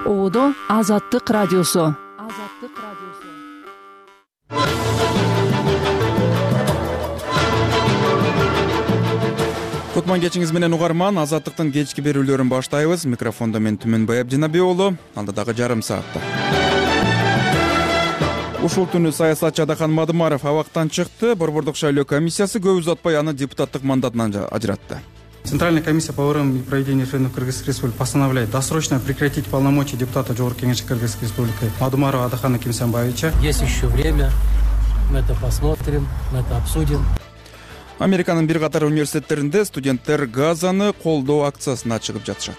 Ободо Азаттык радиосу. Кутман кечиңиз менен угарман, Азаттыктын кечки берүүлөрүн баштайбыз. Микрофондо мен Түмөнбай Абдинабий уулу. Алдыдагы жарым саатта ушул түнү саясатчы Адахан Мадымаров абактан чыкты. Борбордук шайлоо комиссиясы көп узатпай аны депутаттык мандатынан ажыратты. Центральная комиссия по выборам и проведению референдумов Кыргызской Республики постановляет досрочно прекратить полномочия депутата Жогорку Кеңеши Кыргызской Республики Мадымарова Адахана Кимсанбаевича. Есть еще время, мы это посмотрим, мы это обсудим. Американын бир катар университеттеринде студенттер Газаны колдоо акциясына чыгып жатышат.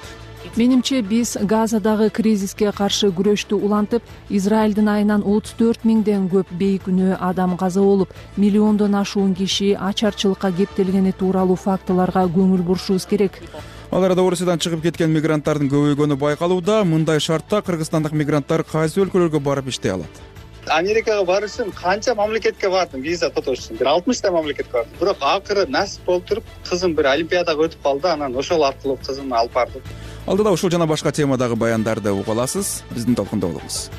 Менимче биз Газадагы кризиске каршы күрөштү улантып, Израилдин айынан 34 миңден көп бейкүнөө адам каза болуп, миллиондон ашуун киши ачарчылыкка кептелгени тууралуу фактыларга көңүл бурушубуз керек. Ал арада Орусиядан чыгып кеткен мигранттардын көбөйгөнү байкалууда. Мындай шартта кыргызстандык мигранттар кайсы өлкөлөргө барып иштей алат? Америкага барыш үчүн канча мамлекетке бардым виза тотош үчүн? 60 мамлекетке бардым. Бирок акыры насип болуп туруп, кызым бир олимпиадага өтүп калды, анан ошол аркылуу кызымды алып бардым. Алдыда ушул жана башка темадагы баяндарды уга аласыз. Биздин толкунда болуңуз.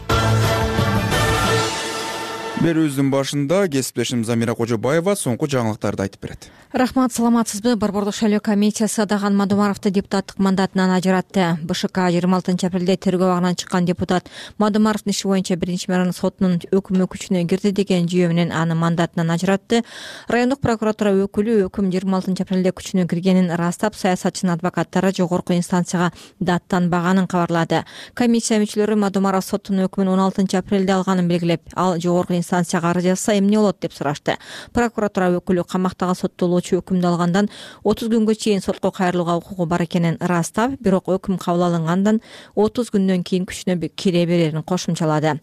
Берүүбүздүн башында кесиптешим Замира Кожобаева соңку жаңылыктарды айтып берет. Рахмат, саламатсызбы? Борбордук шайлоо комиссиясы Адахан Мадымаровду депутаттык мандатынан ажыратты. БШК 26 апрелде тергөө абагынан чыккан депутат Мадымаровдун иши боюнча биринчи мэрдин сотунун өкүмү күчүнө кирди деген жүйө менен аны мандатынан ажыратты. Райондук прокуратура өкүлү өкүм 26 апрелде күчүнө киргенин ырастап, саясатчынын адвокаттары жогорку инстанцияга даттанбаганын кабарлады. Комиссия мүчөлөрү Мадымаров соттун өкүмүн 16 апрелде алганын белгилеп, ал жогорку инстанцияга арыз жазса эмне болот деп сурашты. Прокуратура өкүлү камактагы соттолуучу өкүмдү алгандан 30 күнгө чейин сотко кайрылууга укугу бар экенин ырастап, бирок өкүм кабыл алынгандан 30 күндөн кийин күчүнө кире берерин кошумчалады.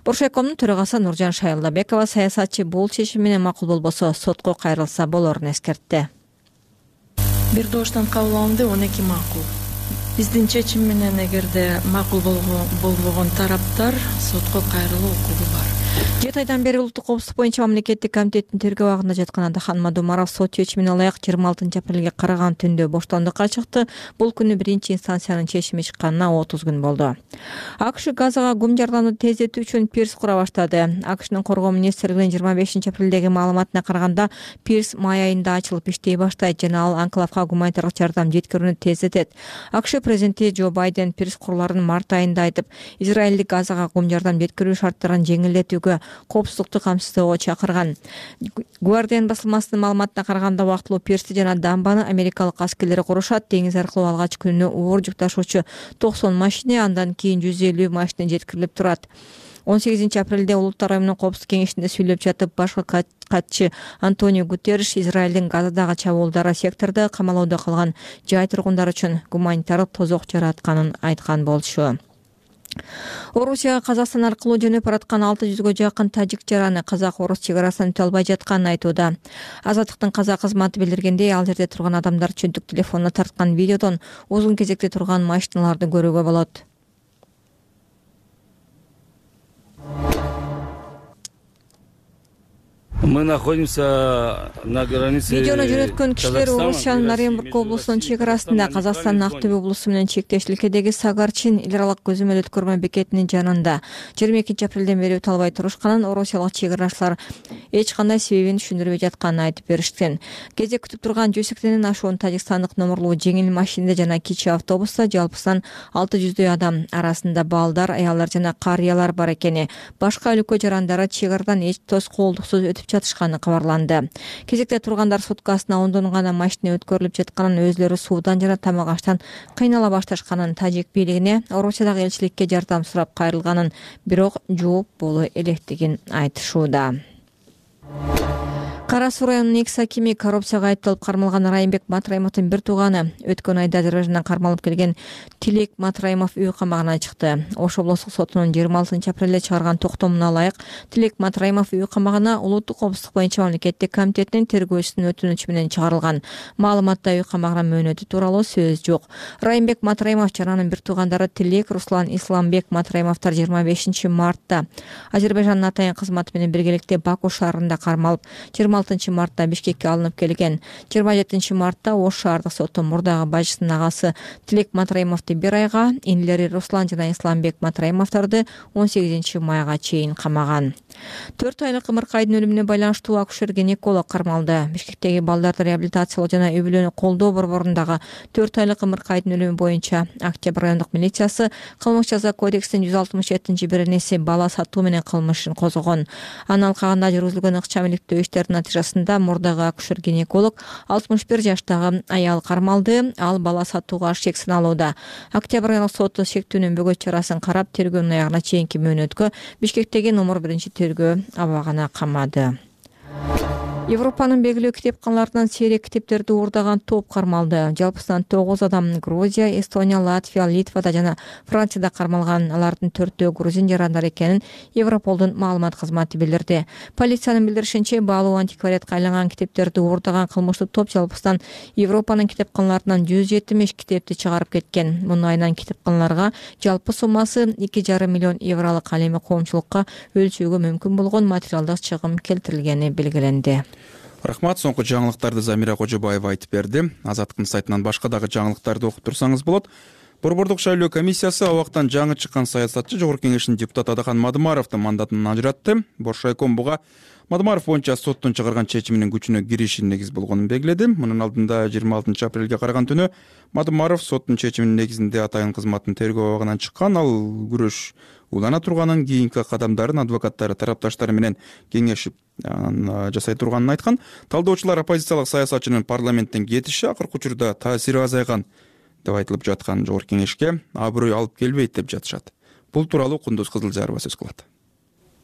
Боршайкомдун төрагасы Нуржан Шайылдабекова саясатчы бул чечим менен макул болбосо сотко кайрылса болорун эскертти. Бир дооштон кабыл алынды, 12 макул. Биздин чечим менен эгерде макул болбогон тараптар сотко кайрылуу укугу бар. 7 айдан бери улуттук коопсуздук боюнча мамлекеттик комитеттин тергөө абагында жаткан Адахан Мадымаров сот чечимине ылайык 26 апрелге караган түндө боштондукка чыкты. Бул күнү биринчи инстанциянын чечими чыкканына 30 күн болду. АКШ Газага гум жардамды тездетүү үчүн пирс кура баштады. АКШнын коргоо министрлигинин 25 апрелдеги маалыматына караганда, пирс май айында ачылып иштей баштайт жана ал анклавга гуманитардык жардам жеткирүүнү тездетет. АКШ президенти Джо Байден пирс куруларын март айында айтып, Израилдик Газага гум жардам жеткирүү шарттарын жеңилдетүүгө, коопсуздукту камсыздоого чакырган. Guardian басылмасынын маалыматына караганда, убактылуу пирсти жана дамбаны америкалык аскерлери курушат. Деңиз аркылуу алгач күнү оор жүк ташуучу 90 машина, андан кийин 150 машина жеткирилип турат. 18 апрелде Улуттар уюмунун коопсуздук кеңешинде сүйлөп жатып, башкы катчы Антонио Гутерриш Израилдин Газадагы чабуулдары сектордо камалоодо калган жай тургундары үчүн гуманитардык тозок жаратканын айткан болчу. Орусияга Казакстан аркылуу жөнөп бараткан 600гө жакын тажик жараны казак-орус чек арасынан өтө албай жатканын айтууда. Азаттыктын казак кызматы билдиргендей, ал жерде турган адамдар чөнтүк телефонуна тарткан видеодон узун кезекте турган машиналарды көрүүгө болот. Мы находимся на границе. Видеону жөнөткөн кишилер Орусиянын Оренбург облусунун чек арасында, Казакстандын Актөбө облусу менен чектешиликедеги Сагарчин эл аралык көзөмөл өткөрмө бекетинин жанында 22 апрелден бери өтө албай турушканын орусиялык чек арачылар эч кандай себебин түшүндүрбөй жатканын айтып беришкен. Кезек күтүп турган 180ден ашуун тажикстандык номерлуу жеңил машинада жана кичи автобуста жалпысынан 600дөй адам, арасында балдар, аялдар жана карыялар бар экени, башка өлкө жарандары чек арадан эч тоскоолдуксуз өтүп жатышканы кабарланды. Кезекте тургандар суткасына 10 гана машина өткөрүлүп жатканын, өзлөрү суудан жана тамак аштан кыйнала башташканын, тажик бийлигине Орусиядагы элчиликке жардам сурап кайрылганын, бирок жооп боло электигин айтышууда. Кара Суу районунун экс-акими коррупцияга айыпталып кармалган Райымбек Матраимовдун бир тууганы өткөн айда Азербайжандан кармалып келген Тилек Матраимов үй камагына чыкты. Ош облустук сотунун 26 апрелде чыгарган токтомуна ылайык Тилек Матраимов үй камагына улуттук коопсуздук боюнча мамлекеттик комитетинин тергөөчүсүнүн өтүнүчү менен чыгарылган. Маалыматта үй камагына мөөнөтү тууралуу сөз жок. Райымбек Матраимов жана анын бир туугандары Тилек, Руслан, Исламбек Матраимовдор 25 мартта Азербайжандын атайын кызматы менен биргеликте Баку шаарында кармалып, 26 26-мартта Бишкекке алынып келген. 27-мартта Ош шаардык соту мурдагы бажысынын агасы Тилек Матраимовду 1 айга, инилери Руслан жана Исламбек Матраимовдорду 18-майга чейин камаган. 4 айлык ымыркайдын өлүмүнө байланыштуу акушер-гинеколог кармалды. Бишкектеги балдарды реабилитациялоо жана үй-бүлөнү колдоо борборундагы 4 айлык ымыркайдын өлүмү боюнча Октябрь райондук милициясы кылмыш жаза кодексинин 167-беренеси бала сатуу менен кылмышын козгогон. Анын алкагында жүргүзүлгөн ыкчам иликтөө иштеринин натыйжасында мурдагы акушер-гинеколог 61 жаштагы аял кармалды. Ал бала сатууга шек саналууда. Октябрь райондук соту шектүүнүн бөгөт чарасын карап, тергөөнүн аягына чейинки мөөнөткө Бишкектеги номер 1-тергөө абагына камады. Европанын белгилүү китепканаларынан сейрек китептерди уурдаган топ кармалды. Жалпысынан 9 адам Грузия, Эстония, Латвия, Литвада жана Францияда кармалган. Алардын 4-төө грузин жарандары экенин Европолдун маалымат кызматы билдирди. Полициянын билдиришинче, баалуу антиквариатка айланган китептерди уурдаган кылмыштуу топ жалпысынан Европанын китепканаларынан 170 китепти чыгарып кеткен. Мунун айынан китепканаларга жалпы суммасы 2,5 миллион евролук ал эми коомчулукка өлчүүгө мүмкүн болгон материалдык чыгым келтирилгени белгиленди. Рахмат, соңку жаңылыктарды Замира Кожобаева айтып берди. Азаттыктын сайтынан башка дагы жаңылыктарды окуп турсаңыз болот. Борбордук шайлоо комиссиясы абактан жаңы чыккан саясатчы Жогорку Кеңештин депутаты Адахан Мадымаровдун мандатын ажыратты. Боршайком буга Мадымаров боюнча соттун чыгарган чечиминин күчүнө кириши негиз болгонун белгиледи. Мунун алдында 26 апрелге караган түнү Мадымаров соттун чечиминин негизинде атайын кызматтын тергөө абагынан чыккан. Ал күрөш улана турганын, кийинки кадамдарын адвокаттары тарапташтары менен кеңешип жасай турганын айткан. Талдоочулар оппозициялык саясатчынын парламенттен кетиши акыркы учурда таасири азайган деп айтылып жаткан Жогорку Кеңешке аброй алып келбейт деп жатышат. Бул тууралуу Кундуз Кызылжарова сөз кылат.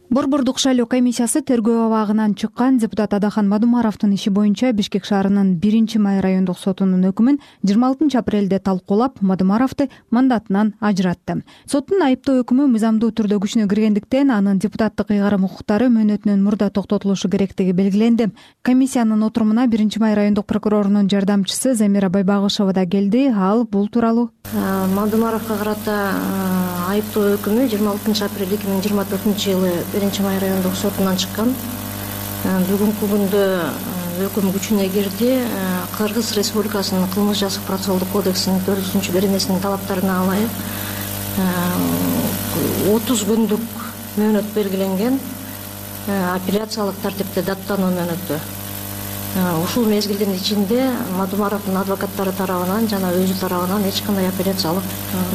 Борбордук шайлоо комиссиясы тергөө абагынан чыккан депутат Адахан Мадымаровдун иши боюнча Бишкек шаарынын 1-май райондук сотунун өкүмүн 26 апрелде талкуулап, Мадымаровду мандатынан ажыратты. Соттун айыптоо өкүмү мыйзамдуу түрдө күчүнө киргендиктен анын депутаттык ыйгарым укуктары мөөнөтүнөн мурда токтотулушу керектиги белгиленди. Комиссиянын отурумуна 1-май райондук прокурорунун жардамчысы Замира Байбагышева да келди. Ал бул тууралуу Мадымаровго карата айыптоо өкүмү 26 апрель 2024-жылы 1-май райондук сотунан чыккан. Бүгүнкү күндө өкүм күчүнө кирди. Кыргыз Республикасынын кылмыш жазык процессуалдык кодексинин 4-беренесинин талаптарына ылайык 30 күндүк мөөнөт белгиленген. Апелляциялык тартипте даттануу мөөнөтү. Ушул мезгилдин ичинде Мадымаровдун адвокаттары тарабынан жана өзү тарабынан эч кандай апелляциялык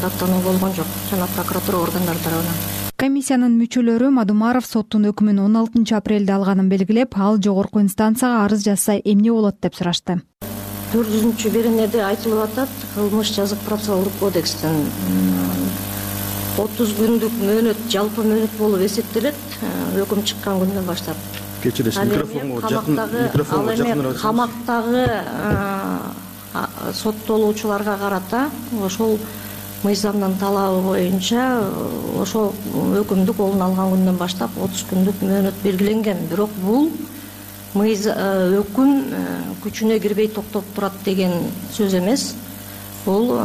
даттануу болгон жок, жана прокуратура органдары тарабынан. Комиссиянын мүчөлөрү Мадымаров соттун өкүмүн 16 апрелде алганын белгилеп, ал жогорку инстанцияга арыз жазса эмне болот деп сурашты. 4-беренеде айтылып атат, кылмыш жазык процессуалдык кодекстин 30 күндүк мөөнөт жалпы мөөнөт болуп эсептелет өкүм чыккан күндөн баштап. Кечиресиз, микрофонго жакыныраак. Камактагы соттолуучуларга карата ошол мыйзамдын талабы боюнча ошол өкүмдү колуна алган күндөн баштап 30 күндүк мөөнөт белгиленген. Бирок бул өкүм күчүнө кирбей токтоп турат деген сөз эмес. Бул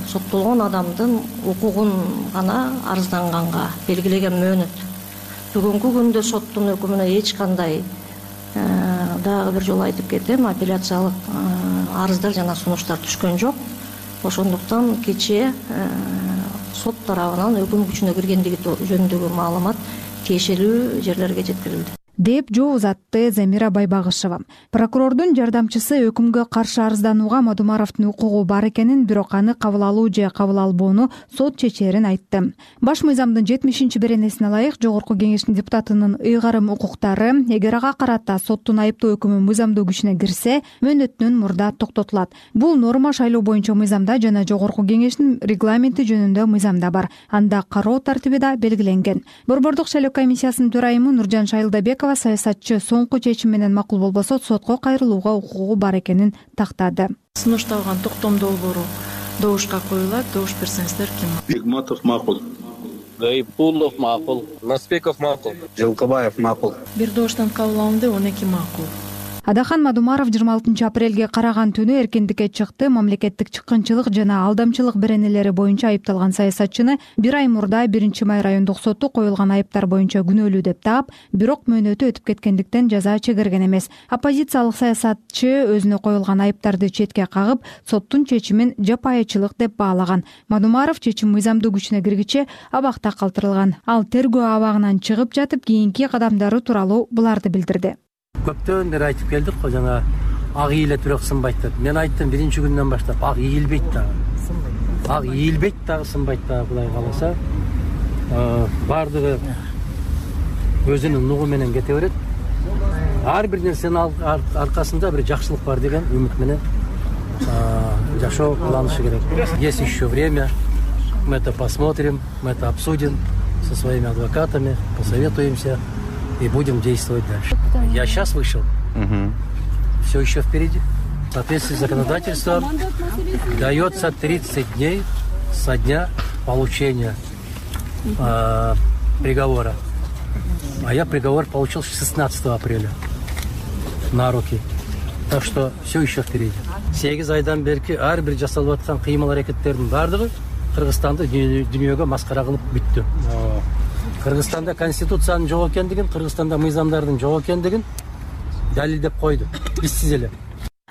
соттолгон адамдын укугун гана арызданганга белгилеген мөөнөт. Бүгүнкү күндө соттун өкүмүнө эч кандай дагы бир жолу айтып кетем, апелляциялык арыздар жана сунуштар түшкөн жок. Ошондуктан кечээ сот тарабынан өкүм күчүнө киргендиги жөнүндөгү маалымат тиешелүү жерлерге жеткирилди деп жооп узатты Замира Байбагышева. Прокурордун жардамчысы өкүмгө каршы арызданууга Мадымаровдун укугу бар экенин, бирок аны кабыл алуу же кабыл албоону сот чечерин айтты. Баш мыйзамдын 70-беренесине ылайык Жогорку Кеңештин депутатынын ыйгарым укуктары эгер ага карата соттун айыптоо өкүмү мыйзамдуу күчүнө кирсе, мөөнөтүнөн мурда токтотулат. Бул норма шайлоо боюнча мыйзамда жана Жогорку Кеңештин регламенти жөнүндө мыйзамда бар. Анда кароо тартиби да белгиленген. Борбордук шайлоо комиссиясынын төрайымы Нуржан Шайылдабекова саясатчы соңку чечим менен макул болбосо сотко кайрылууга укугу бар экенин тактады. Сунушталган токтом долбоору добушка коюлат. Добуш берсеңиздер ким? Бигматов макул. Гайпулов макул. Наспеков макул. Жылкыбаев макул. Бир добуштан кабыл алынды, 12 макул. Адахан Мадумаров 26 апрелге караган түнү эркиндикке чыкты. Мамлекеттик чыккынчылык жана алдамчылык беренелери боюнча айыпталган саясатчыны 1 ай мурда 1-май райондук соту коюлган айыптар боюнча күнөөлүү деп таап, бирок мөөнөтү өтүп кеткендиктен жаза чегерген эмес. Оппозициялык саясатчы өзүнө коюлган айыптарды четке кагып, соттун чечимин жапайычылык деп баалаган. Мадумаров чечим мыйзамдуу күчүнө киргиче абакта калтырылган. Ал тергөө абагынан чыгып жатып, кийинки кадамдары тууралуу буларды билдирди. Көптөн бери айтып келдик го, жана ак ийилет бирок сынбайт деп. Мен айттым биринчи күндөн баштап, ак ийилбейт дагы. Ак ийилбейт дагы, сынбайт дагы, Кудай кааласа. Бардыгы өзүнүн нугу менен кете берет. Ар бир нерсенин аркасында бир жакшылык бар деген үмүт менен жашоо кылынышы керек. Есть еще время. Мы это посмотрим, мы это обсудим со своими адвокатами, посоветуемся и будем действовать дальше. Я сейчас вышел. Все еще впереди. В соответствии с законодательством дается 30 дней со дня получения приговора. А я приговор получил 16 апреля на руки. Так что все еще впереди. 8 айдан берки ар бир жасалып аткан кыймыл аракеттердин бардыгы Кыргызстанды дүйнөгө маскара кылып бүттү. Кыргызстанда конституциянын жок экендигин, Кыргызстанда мыйзамдардын жок экендигин далилдеп койду. Биссиз эле.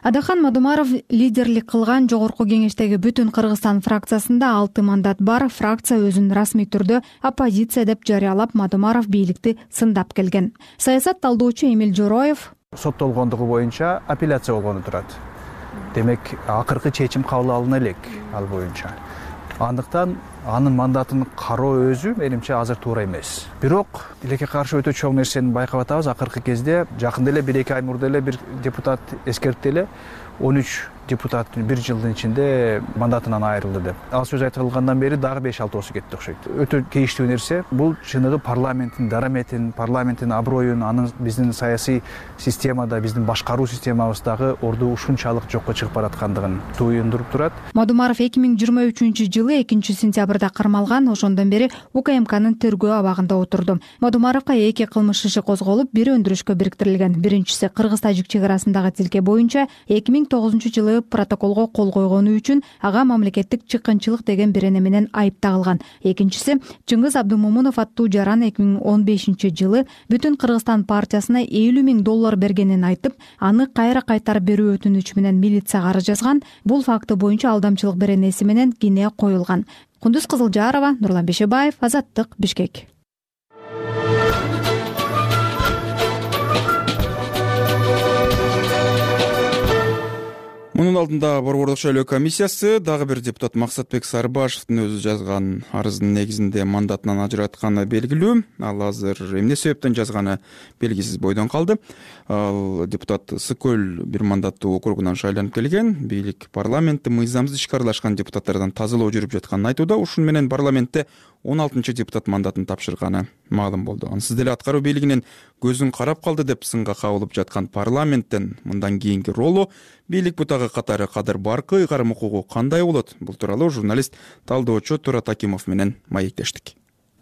Адахан Мадумаров лидерлик кылган жогорку кеңештеги бүтүн Кыргызстан фракциясында 6 мандат бар. Фракция өзүн расмий түрдө оппозиция деп жарыялап, Мадумаров бийликти сындап келген. Саясат талдоочу Эмил Жороев соттолгондугу боюнча апелляция болгону турат. Демек, акыркы чечим кабыл алына элек ал боюнча. Андыктан анын мандатын кароо өзү менимче азыр туура эмес. Бирок тилекке каршы өтө чоң нерсени байкап атабыз. Акыркы кезде жакында эле 1-2 ай мурда эле бир депутат эскертти эле 13 депутат 1 жылдын ичинде мандатынан айрылды деп. Ал сөз айтылгандан бери дагы 5-6 кетти окшойт. Өтө кейиштүү нерсе. Бул чыныгы парламенттин дараметин, парламенттин аброюн, анын биздин саясий системада, биздин башкаруу системабыздагы орду ушунчалык жокко чыгып бараткандыгын туюндуруп турат. Мадумаров 2023-жылы 2-сентябрда кармалган. Ошондон бери УКМКнын тергөө абагында отурду. Мадумаровго 2 кылмыш иши козголуп, бири өндүрүшкө бириктирилген. Биринчиси Кыргыз-Тажик чек арасындагы тилке боюнча 2009-жылы протоколго кол койгону үчүн ага мамлекеттик чыккынчылык деген берене менен айып тагылган. Экинчиси Чыңгыз Абдумомунов аттуу жаран 2015-жылы Бүтүн Кыргызстан партиясына $50,000 бергенин айтып, аны кайра кайтарып берүү өтүнүчү менен милицияга арыз жазган. Бул факты боюнча алдамчылык беренеси менен кине коюлган. Кундуз Кызылжарова, Нурлан Бешебаев, Азаттык, Бишкек. Мунун алдында Борбордук шайлоо комиссиясы дагы бир депутат Максатбек Сарыбашевдин өзү жазган арыздын негизинде мандатынан ажыратканы белгилүү. Ал азыр эмне себептен жазганы белгисиз бойдон калды. Ал депутат Сы-Көл бир мандаттуу округунан шайланып келген. Бийлик парламентте мыйзамсыз ишке аралашкан депутаттардан тазалоо жүрүп жатканын айтууда. Ушун менен парламентте 16-депутат мандатын тапшырганы маалым болду. Ансыз деле аткаруу бийлигинин көзүн карап калды деп сынга кабылып жаткан парламенттен мындан кийинки ролу бийлик бутагы катары Кадыр Баркы ыйгарым укугу кандай болот? Бул тууралуу журналист талдоочу Турат Акимов менен маектештик.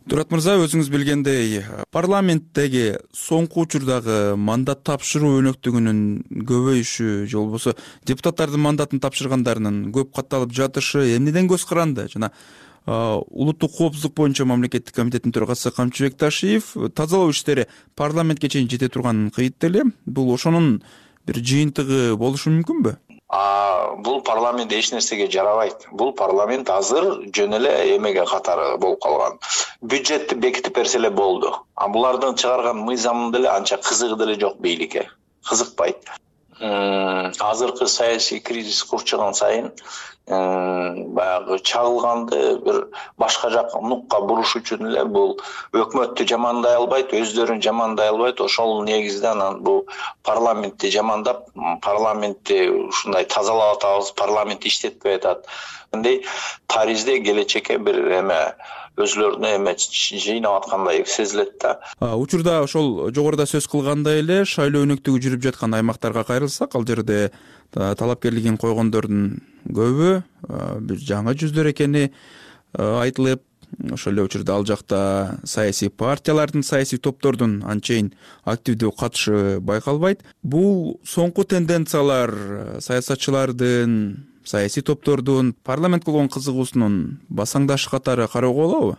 Турат мырза, өзүңүз билгендей, парламенттеги соңку учурдагы мандат тапшыруу өнөктүгүнүн көбөйүшү же болбосо депутаттардын мандатын тапшыргандарынын көп катталып жатышы эмнеден көз каранды? Жана улуттук коопсуздук боюнча мамлекеттик комитеттин төрагасы Камчыбек Ташиев тазалоо иштери парламентке чейин жете турганын кыйытты эле. Бул ошонун бир жыйынтыгы болушу мүмкүнбү? Бул парламент эч нерсеге жарабайт. Бул парламент азыр жөн эле эмеге катары болуп калган. Бюджетти бекитип берсе эле болду. Булардын чыгарган мыйзамы деле анча кызыгы деле жок бийликке. Кызыкпайт. Азыркы саясий кризис курчаган сайын баягы чагылганды бир башка жакка нукка буруш үчүн эле бул өкмөттү жамандай албайт, өздөрүн жамандай албайт. Ошол негизде анан бул парламентти жамандап, парламентти ушундай тазалап атабыз, парламент иштетпей атат. Мындай таризде келечекке бир өзүлөрүнө жыйнап аткандай сезилет да. Учурда ошол жогоруда сөз кылгандай эле шайлоо өнөктүгү жүрүп жаткан аймактарга кайрылсак, ал жерде талапкерлигин койгондордун көбү бир жаңы жүздөр экени айтылып, ошол эле учурда ал жакта саясий партиялардын, саясий топтордун анчейин активдүү катышы байкалбайт. Бул соңку тенденциялар саясатчылардын, саясий топтордун парламентке болгон кызыгуусунун басаңдашы катары кароого болобу?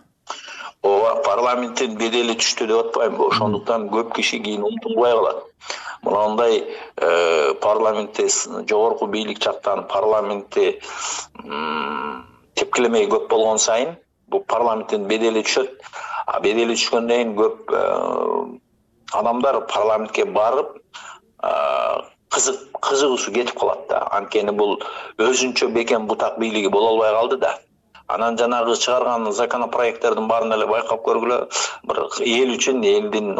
Ооба, парламенттин бедели түштү деп атпаймынбы. Ошондуктан көп киши кийин умтулбай калат. Мындай парламентте жогорку бийлик жактан парламентте тепкилемей көп болгон сайын бул парламенттин бедели түшөт. А бедели түшкөндөн кийин көп адамдар парламентке барып кызыгуусу кетип калат да. Анткени бул өзүнчө бекем бутак бийлиги боло албай калды да. Анан жанагы чыгарган законопроекттердин баарын эле байкап көргүлө, бир эл үчүн, элдин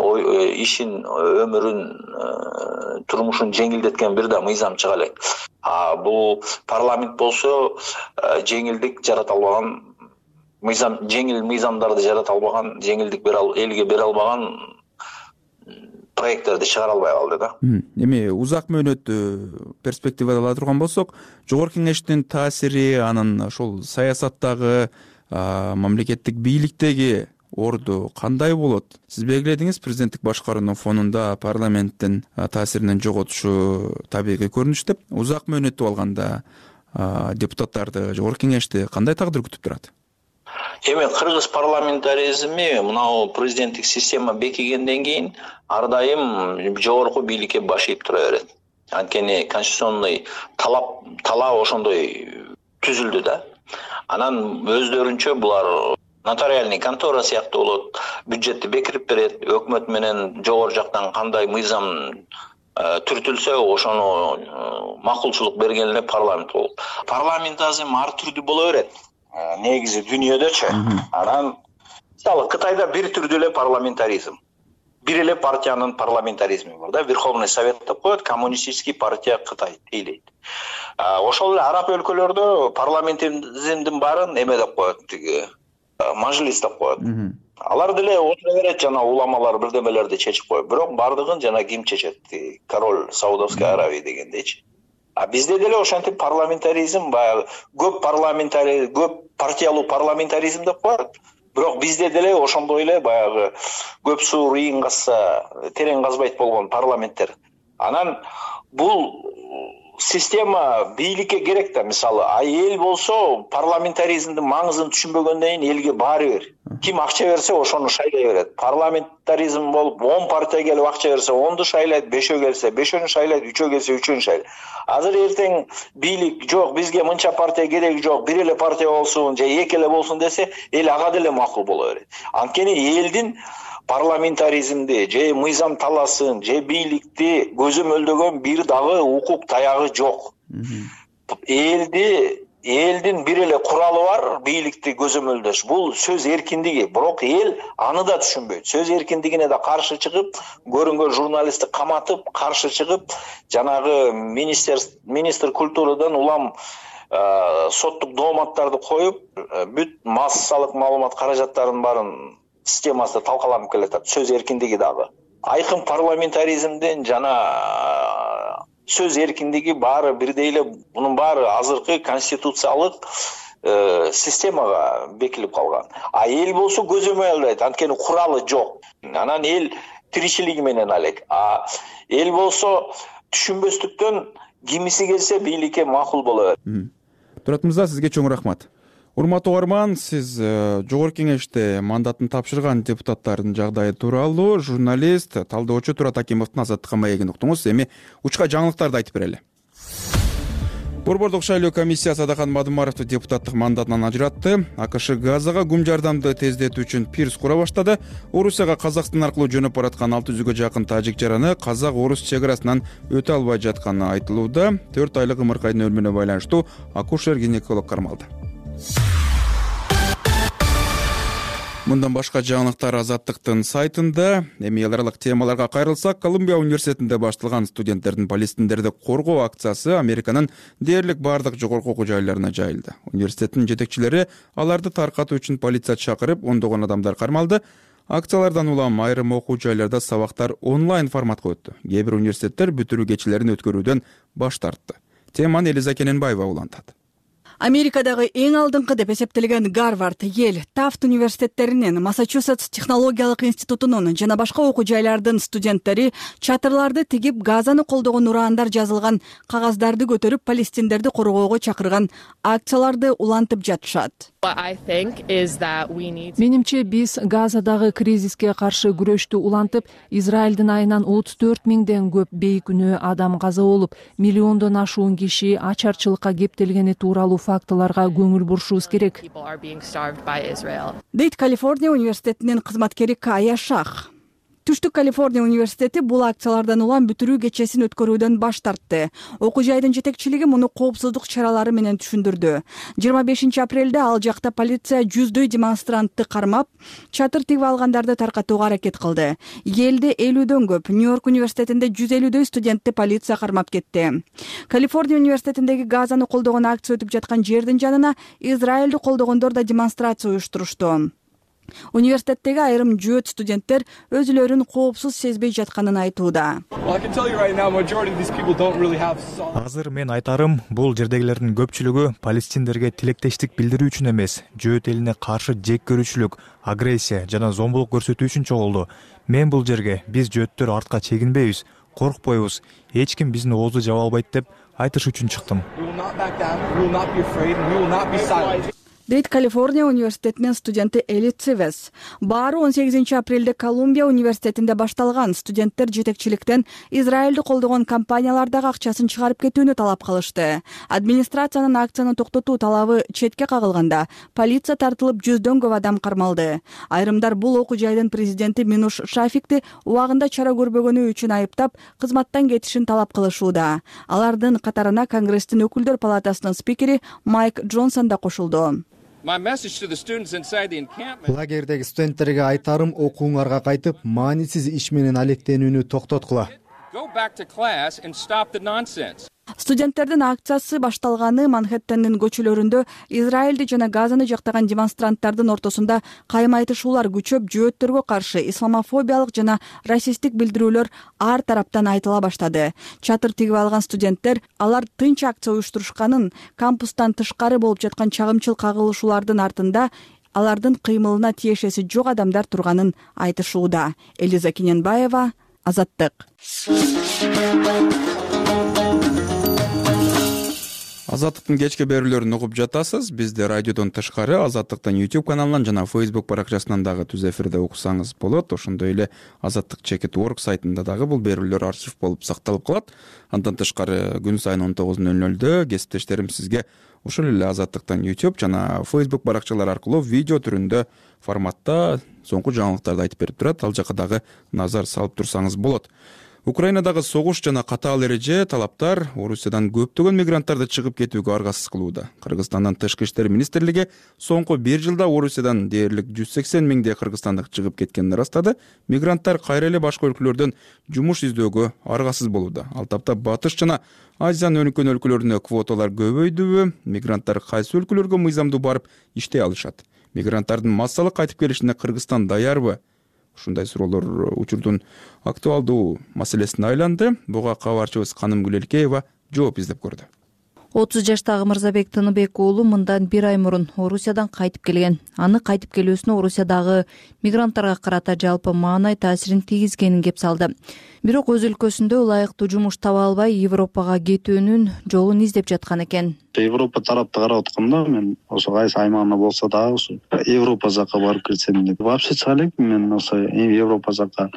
ишин, өмүрүн, турмушун жеңилдеткен бир да мыйзам чыга элек. Бул парламент болсо жеңилдик жарата албаган, жеңил мыйзамдарды жарата албаган, жеңилдик элге бере албаган проекттерди чыгара албай калды да. Эми узак мөөнөттүү перспективада ала турган болсок, жогорку кеңештин таасири, анын ошол саясаттагы, мамлекеттик бийликтеги орду кандай болот? Сиз белгиледиңиз, президенттик башкаруунун фонунда парламенттин таасиринин жоготушу табигый көрүнүш деп. Узак мөөнөттүү алганда депутаттарды, жогорку кеңешти кандай тагдыр күтүп турат? Эми кыргыз парламентаризми мынау президенттик система бекигенден кийин ар дайым жогорку бийликке баш ийип тура берет. Анткени конституционный талап ошондой түзүлдү да. Анан өздөрүнчө булар нотариальный контора сыяктуу болот, бюджетти бекирип берет, өкмөт менен жогору жактан кандай мыйзам түртүлсө ошону макулчулук берген эле парламент болот. Парламентаризм ар түрдүү боло берет. Негизи дүйнөдөчү. Анан мисалы Кытайда бир түрдүү эле парламентаризм. Бир эле партиянын парламентаризми бар да, Верховный Совет деп коет, Коммунистический партия Кытай дейлейт. Ошол эле араб өлкөлөрдө парламентаризмдин баарын эме деп коет, мажлис деп коет. Алар деле отура берет, жана уламалар бирдемелерди чечип коет. Бирок бардыгын жана ким чечет? Король Саудовской Аравии дегендейчи. Бизде деле ошентип парламентаризм баягы көп партиялуу парламентаризм деп коет. Бирок бизде деле ошондой эле баягы көп суу ыйын казса терең казбайт болгон парламенттер. Анан бул система бийликке керек да, мисалы, эл болсо парламентаризмдин маңызын түшүнбөгөндөн кийин элге баары бир. Ким акча берсе ошону шайлай берет. Парламентаризм болуп 10 партия келип акча берсе 10ду шайлайт, 5өө келсе 5өөнү шайлайт, 3өө келсе 3өөнү шайлайт. Азыр эртең бийлик жок, бизге мынча партия кереги жок, бир эле партия болсун же эки эле болсун десе, эл ага деле макул боло берет. Анткени элдин парламентаризмди же мыйзам таласын же бийликти көзөмөлдөгөн бир дагы укук таягы жок. Элдин бир эле куралы бар, бийликти көзөмөлдөш. Бул сөз эркиндиги, бирок эл аны да түшүнбөйт. Сөз эркиндигине да каршы чыгып, көрүнгөн журналистти каматып, каршы чыгып, жанагы министр культурадан улам соттук дооматтарды коюп, бүт массалык маалымат каражаттарынын баарын системасы талкаланып келатат. Сөз эркиндиги дагы. Айкын парламентаризмден жана сөз эркиндиги баары бирдей эле, бунун баары азыркы конституциялык системага бекилип калган. Эл болсо көзөмөл албайт, анткени куралы жок. Анан эл тиричилиги менен алек. Эл болсо түшүнбөстүктөн кимиси келсе бийликке макул боло берет. Турат мырза, сизге чоң рахмат. Урматтуу угарман, сиз жогорку кеңеште мандатын тапшырган депутаттардын жагдайы тууралуу журналист, талдоочу Турат Акимовдун Азаттыкка маегин уктуңуз. Эми учка жаңылыктарды айтып берели. Борбордук шайлоо комиссиясы Адахан Мадумаровду депутаттык мандатынан ажыратты. АКШ Газага гум жардамды тездетүү үчүн пирс кура баштады. Орусияга Казакстан аркылуу жөнөп бараткан 600гө жакын тажик жараны казак-орус чек арасынан өтө албай жатканы айтылууда. 4 айлык ымыркайдын өлүмүнө байланыштуу акушер-гинеколог кармалды. Мындан башка жаңылыктар Азаттыктын сайтында. Эми эл аралык темаларга кайрылсак, Колумбия университетинде башталган студенттердин палестиндерди коргоо акциясы Американын дээрлик бардык жогорку окуу жайларына жайылды. Университеттин жетекчилери аларды таркатуу үчүн полиция чакырып, ондогон адамдар кармалды. Акциялардан улам айрым окуу жайларда сабактар онлайн форматка өттү. Кээ бир университеттер бүтүрүү кечелерин өткөрүүдөн баш тартты. Теманы Элиза Кененбаева улантат. Америкадагы эң алдыңкы деп эсептелген Гарвард, Йель, Тафт университеттеринин, Массачусетс технологиялык институтунун жана башка окуу жайлардын студенттери чатырларды тигип Газаны колдогон ураандар жазылган кагаздарды көтөрүп Палестиндерди коргоого чакырган акцияларды улантып жатышат. Менимче биз Газадагы кризиске каршы күрөштү улантып, Израилдин айынан 34 миңден көп бейкүнөө адам каза болуп, миллиондон ашуун киши ачарчылыкка кептелгени тууралуу фактыларга көңүл бурушубуз керек, дейт Калифорния университетинин кызматкери Кая Шах. Түштүк Калифорния университети бул акциялардан улам бүтүрүү кечесин өткөрүүдөн баш тартты. Окуу жайдын жетекчилиги муну коопсуздук чаралары менен түшүндүрдү. 25 апрелде ал жакта полиция жүздөй демонстрантты кармап, чатыр тигип алгандарды таркатууга аракет кылды. Элде 50дөн көп, Нью-Йорк университетинде 150дөй студентти полиция кармап кетти. Калифорния университетиндеги Газаны колдогон акция өтүп жаткан жердин жанына Израилди колдогондор да демонстрация уюштурушту. Университеттеги айрым жөөт студенттер өзүлөрүн коопсуз сезбей жатканын айтууда. Азыр мен айтарым, бул жердегилердин көпчүлүгү палестиндерге тилектештик билдирүү үчүн эмес, жөөт элине каршы жек көрүүчүлүк, агрессия жана зомбулук көрсөтүү үчүн чогулду. Мен бул жерге биз жөөттөр артка чегинбейбиз, коркпойбуз, эч ким биздин оозду жаба албайт деп айтыш үчүн чыктым, дейт Калифорния университетинин студенти Эли Цивес. Баары 18 апрелде Колумбия университетинде башталган. Студенттер жетекчиликтен Израилди колдогон компаниялардагы акчасын чыгарып кетүүнү талап кылышты. Администрациянын акцияны токтотуу талабы четке кагылганда, полиция тартылып жүздөн көп адам кармалды. Айрымдар бул окуу жайдын президенти Минуш Шафикти убагында чара көрбөгөнү үчүн айыптап, кызматтан кетишин талап кылышууда. Алардын катарына Конгресстин өкүлдөр палатасынын спикери Майк Джонсон да кошулду. Лагердеги студенттерге айтарым, окууңарга кайтып, маанисиз иш менен алектенүүнү токтоткула. Студенттердин акциясы башталганы Манхэттендин көчөлөрүндө Израилди жана Газаны жактаган демонстранттардын ортосунда кайма-айтышуулар күчөп, жөөттөргө каршы исламофобиялык жана расисттик билдирүүлөр ар тараптан айтыла баштады. Чатыр тигип алган студенттер алар тынч акция уюштурушканын, кампустан тышкары болуп жаткан чагымчыл кагылышуулардын артында алардын кыймылына тиешеси жок адамдар турганын айтышууда. Элиза Кененбаева, Азаттык. Азаттыктын кечки берүүлөрүн угуп жатасыз. Бизди радиодон тышкары Азаттыктын YouTube каналынан жана Facebook баракчасынан дагы түз эфирде уксаңыз болот. Ошондой эле azattik.org сайтында дагы бул берүүлөр архив болуп сакталып калат. Андан тышкары күн сайын 19:00 кесиптештерим сизге ошол эле Азаттыктан YouTube жана Facebook баракчалары аркылуу видео түрүндө форматта соңку жаңылыктарды айтып берип турат. Ал жака дагы назар салып турсаңыз болот. Украинадагы согуш жана катаал эреже талаптар Орусиядан көптөгөн мигранттарды чыгып кетүүгө аргасыз кылууда. Кыргызстандын тышкы иштер министрлиги соңку 1 жылда Орусиядан дээрлик 180 миңдей кыргызстандык чыгып кеткенин ырастады. Мигранттар кайра эле башка өлкөлөрдөн жумуш издөөгө аргасыз болууда. Ал тапта Батыш жана Азиянын өнүккөн өлкөлөрүнө квоталар көбөйдүбү? Мигранттар кайсы өлкөлөргө мыйзамдуу барып иштей алышат? Мигранттардын массалык кайтып келишине Кыргызстан даярбы? Ушундай суроолор учурдун актуалдуу маселесине айланды. Буга кабарчыбыз Каным Гүлелкеева жооп издеп көрдү. 30 жаштагы Мырзабек Тыныбек уулу мындан 1 ай мурун Орусиядан кайтып келген. Аны кайтып келүүсүнө Орусиядагы мигранттарга карата жалпы маанай таасирин тийгизгенин кеп салды. Бирок өз өлкөсүндө ылайыктуу жумуш таба албай Европага кетүүнүн жолун издеп жаткан экен. Европа тарапты карап атканда мен ошо кайсы аймагына болсо дагы ушу Европа жакка барып кетсем деп вообще чыга элекмин мен ошо Европа жакка.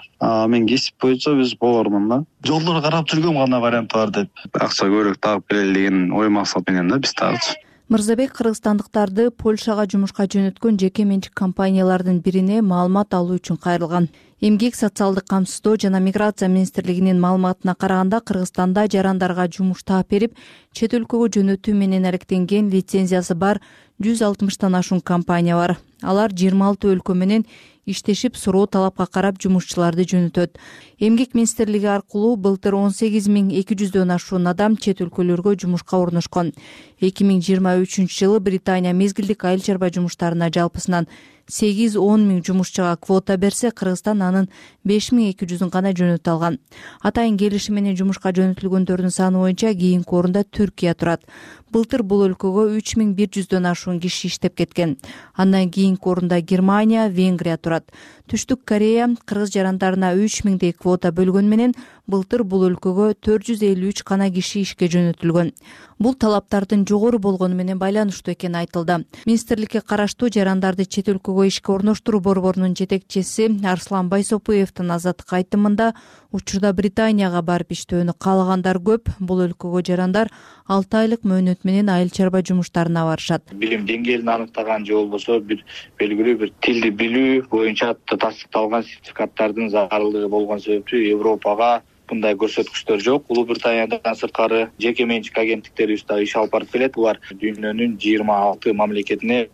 Мен кесип боюнча биз повармын да. Жолдорду карап жүргөм кандай вариант бар деп. Акча көбүрөөк тагып келели деген ой максат менен да биз тагычы. Мырзабек кыргызстандыктарды Польшага жумушка жөнөткөн жеке менчик компаниялардын бирине маалымат алуу үчүн кайрылган. Эмгек социалдык камсыздоо жана миграция министрлигинин маалыматына караганда Кыргызстанда жарандарга жумуш таап берип, чет өлкөгө жөнөтүү менен алектенген лицензиясы бар 160тан ашуун компания бар. Алар 26 өлкө менен иштешип, суроо талапка карап жумушчуларды жөнөтөт. Эмгек министрлиги аркылуу былтыр 18.200дөн ашуун адам чет өлкөлөргө жумушка орношкон. 2023-жылы Британия мезгилдик айыл чарба жумуштарына жалпысынан 8-10 миң жумушчуга квота берсе, Кыргызстан анын 5200-ын гана жөнөтө алган. Атайын келишим менен жумушка жөнөтүлгөндөрдүн саны боюнча кийинки орунда Түркия турат. Былтыр бул өлкөгө 3100дөн ашуун киши иштеп кеткен. Андан кийинки орунда Германия, Венгрия турат. Түштүк Корея кыргыз жарандарына 3000дей квота бөлгөн менен былтыр бул өлкөгө 453 гана киши ишке жөнөтүлгөн. Бул талаптардын жогору болгону менен байланыштуу экени айтылды. Министрликке караштуу жарандарды чет өлкөгө ишке орноштуруу борборунун жетекчиси Арслан Байсопуевдин Азаттыкка айтымында, учурда Британияга барып иштөөнү каалагандар көп. Бул өлкөгө жарандар 6 айлык мөөнөт менен айыл чарба жумуштарына барышат. Билим деңгээлин аныктаган же болбосо бир белгилүү бир тилди билүү боюнча тастыкталган сертификаттардын зарылдыгы болгон себептүү Европага мындай көрсөткүчтөр жок. Улуу Британиядан сырткары жеке менчик агенттиктерибиз да иш алып барып келет. Булар дүйнөнүн 26 мамлекетине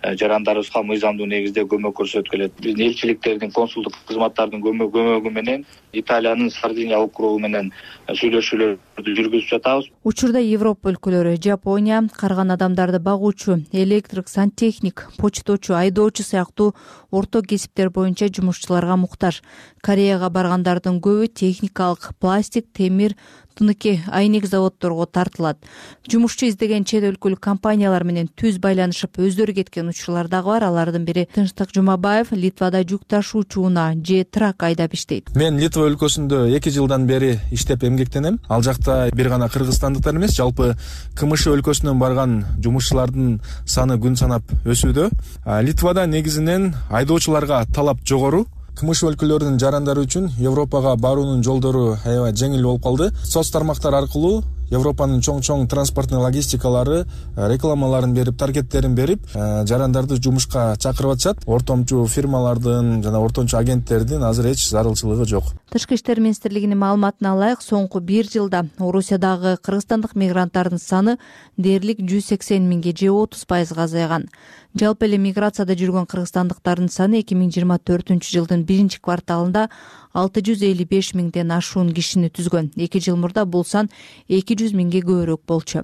жарандарыбызга мыйзамдуу негизде көмөк көрсөтүп келет. Биздин элчиликтердин, консулдук кызматтардын көмөгү менен Италиянын Сардиния округу менен сүйлөшүүлөрдү жүргүзүп жатабыз. Учурда Европа өлкөлөрү, Жапония карган адамдарды багуучу, электрик, сантехник, почточу, айдоочу сыяктуу орто кесиптер боюнча жумушчуларга муктаж. Кореяга баргандардын көбү техникалык, пластик, темир, тыныки, айнек заводдорго тартылат. Жумушчу издеген чет өлкөлүк компаниялар менен түз байланышып өздөрү кеткен учурлар дагы бар. Алардын бири Тынчтык Жумабаев Литвада жүк ташуучу унаа же трак айдап иштейт. Мен Литва өлкөсүндө 2 жылдан бери иштеп эмгектенем. Ал жакта бир гана кыргызстандыктар эмес, жалпы КМШ өлкөсүнөн барган жумушчулардын саны күн санап өсүүдө. Литвада негизинен айдоочуларга талап жогору. КМШ өлкөлөрүнүн жарандары үчүн Европага баруунун жолдору аябай жеңил болуп калды. Соц тармактар аркылуу Европанын чоң транспорттун логистикалары рекламаларын берип, таргеттерин берип, жарандарды жумушка чакырып атышат. Ортомчу фирмалардын жана ортомчу агенттердин азыр эч зарылчылыгы жок. Тышкы иштер министрлигинин маалыматына ылайык, соңку 1 жылда Орусиядагы кыргызстандык мигранттардын саны дээрлик 180 миңге же 30% азайган. Жалпы эле миграцияда жүргөн кыргызстандыктардын саны 2024-жылдын 1 кварталында 655 миңден ашуун кишини түзгөн. 2 жыл мурда бул сан 200 миңге көбүрөөк болчу.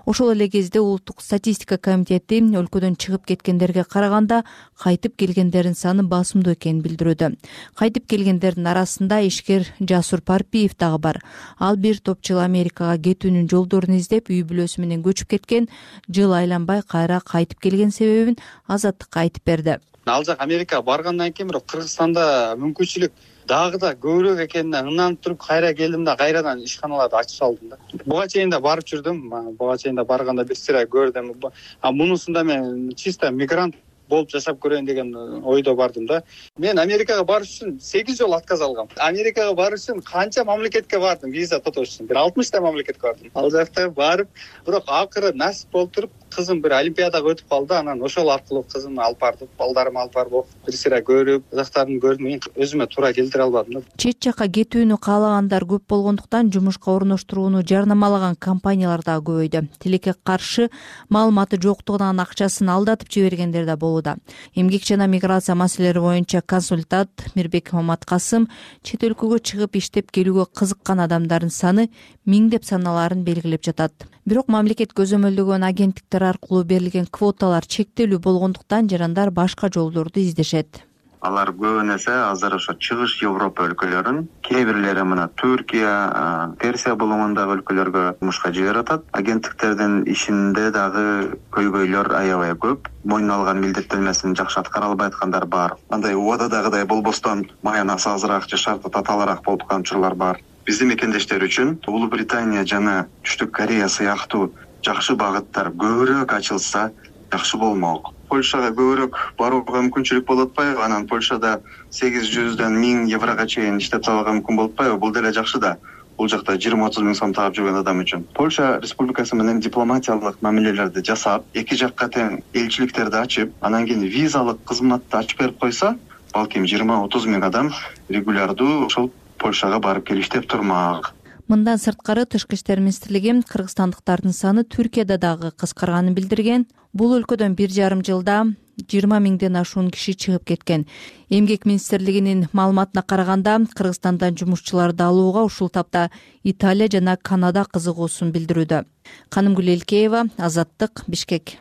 Ошол эле кезде Улуттук статистика комитети өлкөдөн чыгып кеткендерге караганда кайтып келгендердин саны басымдуу экенин билдирүүдө. Кайтып келгендердин арасында ишкер Жасур Парпиев дагы бар. Ал бир топ жыл Америкага кетүүнүн жолдорун издеп, үй бүлөсү менен көчүп кеткен, жыл айланбай кайра кайтып келген себебин Азаттыкка айтып берди. Ал жак Америкага баргандан кийин бирок Кыргызстанда мүмкүнчүлүк дагы да көбүрөөк экенине ыңнанып туруп кайра келдим да кайрадан ишканаларды ачып салдым да. Буга чейин да барып жүрдүм. Буга чейин да барганда бир сыйра көрдүм. Мунусунда мен чисто мигрант болуп жашап көрөйүн деген ойдо бардым да. Мен Америкага барыш үчүн 8 жолу отказ алгам. Америкага барыш үчүн канча мамлекетке бардым, виза тотош үчүн. Бир 60 та мамлекетке бардым. Ал жакта барып, бирок акыры насип болуп туруп, кызым бир олимпиадага өтүп калды. Анан ошол аркылуу кызымды алып бардым, балдарымды алып барып окуп, бир сыйра көрүп, жактарын көрдүм. Мен өзүмө туура келтире албадым да. Чет жакка кетүүнү каалагандар көп болгондуктан жумушка орноштурууну жарнамалаган компаниялар да көбөйдү. Тилекке каршы маалыматы жоктугунан акчасын алдатып жибергендер да болууда. Эмгек жана миграция маселелери боюнча консультант Мирбек Маматкасым чет өлкөгө чыгып иштеп келүүгө кызыккан адамдардын саны миңдеп саналарын белгилеп жатат. Бирок мамлекет көзөмөлдөгөн агенттиктер аркылуу берилген квоталар чектелүү болгондуктан жарандар башка жолдорду издешет. Алар көбүнесе азыр ошо чыгыш Европа өлкөлөрүн, кээ бирлери мына Түркия, Персия булуңундагы өлкөлөргө жумушка жиберип атат. Агенттиктердин ишинде дагы көйгөйлөр аябай көп. Мойнуна алган милдеттенмесин жакшы аткара албай аткандар бар. Андай убададагыдай болбостон маянасы азыраак же шарты татаалыраак болуп аткан учурлар бар. Биздин мекендештер үчүн Улуу Британия жана Түштүк Корея сыяктуу жакшы багыттар көбүрөөк ачылса жакшы болмок. Польшага көбүрөөк барууга мүмкүнчүлүк болуп атпайбы? Анан Польшада 800дөн 1000 еврого чейин иштеп табууга мүмкүн болуп атпайбы? Бул деле жакшы да. Бул жакта 20-30 миң сом таап жүргөн адам үчүн. Польша республикасы менен дипломатиялык мамилелерди жасап, эки жакка тең элчиликтерди ачып, анан кийин визалык кызматты ачып берип койсо, балким 20-30 миң адам регулярдуу ошол Польшага барып келиштеп турмак. Мындан сырткары Тышкы иштер министрлиги кыргызстандыктардын саны Түркияда дагы кыскарганын билдирген. Бул өлкөдөн 1,5 жылда 20 миңден ашуун киши чыгып кеткен. Эмгек министрлигинин маалыматына караганда Кыргызстандан жумушчуларды алууга ушул тапта Италия жана Канада кызыгуусун билдирүүдө. Канымгүл Элкеева, Азаттык, Бишкек.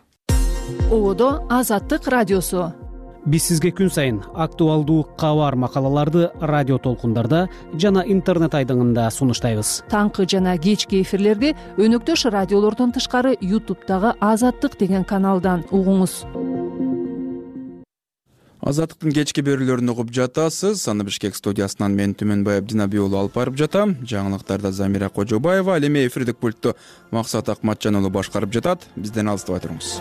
Ободо Азаттык радиосу. Биз сизге күн сайын актуалдуу кабар макалаларды радио толкундарда жана интернет айдыңында сунуштайбыз. Таңкы жана кечки эфирлерди өнөктөш радиолордон тышкары YouTube'дагы Азаттык деген каналдан угуңуз. Азаттыктын кечки берүүлөрүн угуп жатасыз. Аны Бишкек студиясынан мен Түмөнбай Абдинаби уулу алып барып жатам. Жаңылыктарда Замира Кожобаева, ал эми эфирдик пультту Максат Акматжан уулу башкарып жатат. Бизден алыстабай туруңуз.